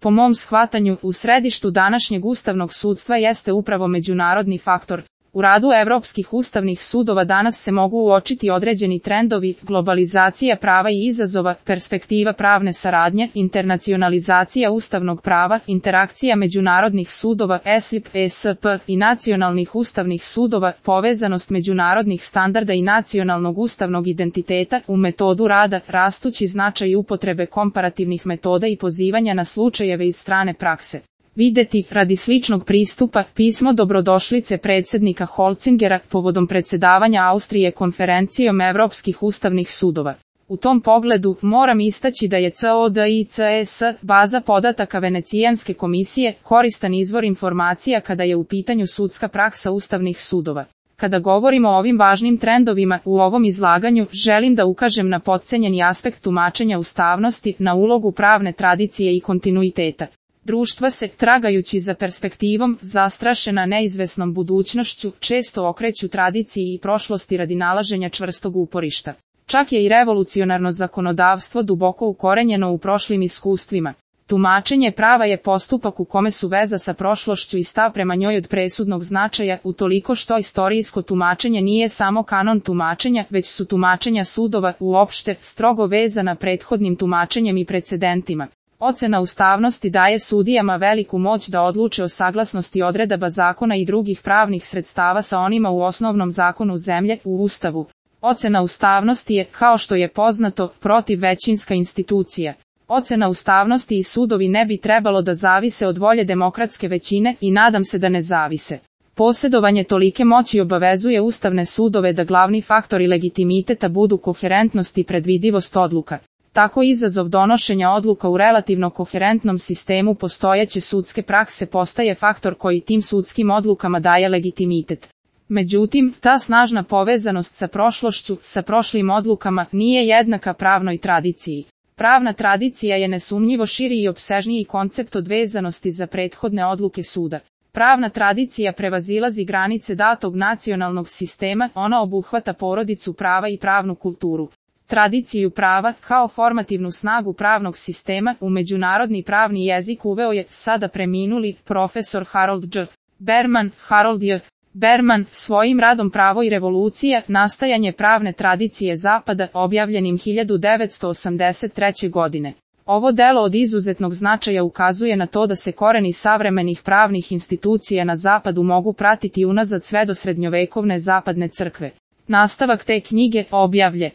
Po mom shvatanju, u središtu današnjeg ustavnog sudstva jeste upravo međunarodni faktor. U radu evropskih ustavnih sudova danas se mogu uočiti određeni trendovi, globalizacija prava i izazova, perspektiva pravne saradnje, internacionalizacija ustavnog prava, interakcija međunarodnih sudova, ESIP, ESP i nacionalnih ustavnih sudova, povezanost međunarodnih standarda i nacionalnog ustavnog identiteta u metodu rada, rastući značaj upotrebe komparativnih metoda i pozivanja na slučajeve iz strane prakse. Videti, radi sličnog pristupa, pismo dobrodošlice predsjednika Holzingera povodom predsjedavanja Austrije konferencijom Evropskih ustavnih sudova. U tom pogledu, moram istaći da je CODICS, baza podataka Venecijanske komisije, koristan izvor informacija kada je u pitanju sudska praksa ustavnih sudova. Kada govorimo o ovim važnim trendovima, u ovom izlaganju, želim da ukažem na potcenjeni aspekt tumačenja ustavnosti, na ulogu pravne tradicije i kontinuiteta. Društva se, tragajući za perspektivom, zastrašena neizvesnom budućnošću, često okreću tradiciji i prošlosti radi nalaženja čvrstog uporišta. Čak je i revolucionarno zakonodavstvo duboko ukorenjeno u prošlim iskustvima. Tumačenje prava je postupak u kome su veza sa prošlošću i stav prema njoj od presudnog značaja, utoliko što istorijsko tumačenje nije samo kanon tumačenja, već su tumačenja sudova, uopšte, strogo vezana prethodnim tumačenjem i precedentima. Ocena ustavnosti daje sudijama veliku moć da odluče o saglasnosti odredaba zakona i drugih pravnih sredstava sa onima u osnovnom zakonu zemlje, u Ustavu. Ocena ustavnosti je, kao što je poznato, protivvećinska institucija. Ocena ustavnosti i sudovi ne bi trebalo da zavise od volje demokratske većine i nadam se da ne zavise. Posjedovanje tolike moći obavezuje ustavne sudove da glavni faktori legitimiteta budu koherentnost i predvidivost odluka. Tako izazov donošenja odluka u relativno koherentnom sistemu postojeće sudske prakse postaje faktor koji tim sudskim odlukama daje legitimitet. Međutim, ta snažna povezanost sa prošlošću, sa prošlim odlukama, nije jednaka pravnoj tradiciji. Pravna tradicija je nesumnjivo širi i opsežniji koncept od vezanosti za prethodne odluke suda. Pravna tradicija prevazilazi granice datog nacionalnog sistema, ona obuhvata porodicu prava i pravnu kulturu. Tradiciju prava, kao formativnu snagu pravnog sistema, u međunarodni pravni jezik uveo je, sada preminuli, profesor Harold J. Berman, Harold J. Berman, svojim radom Pravo i revolucija, nastajanje pravne tradicije Zapada, objavljenim 1983. godine. Ovo delo od izuzetnog značaja ukazuje na to da se koreni savremenih pravnih institucija na Zapadu mogu pratiti unazad sve do srednjovekovne zapadne crkve. Nastavak te knjige, objavlje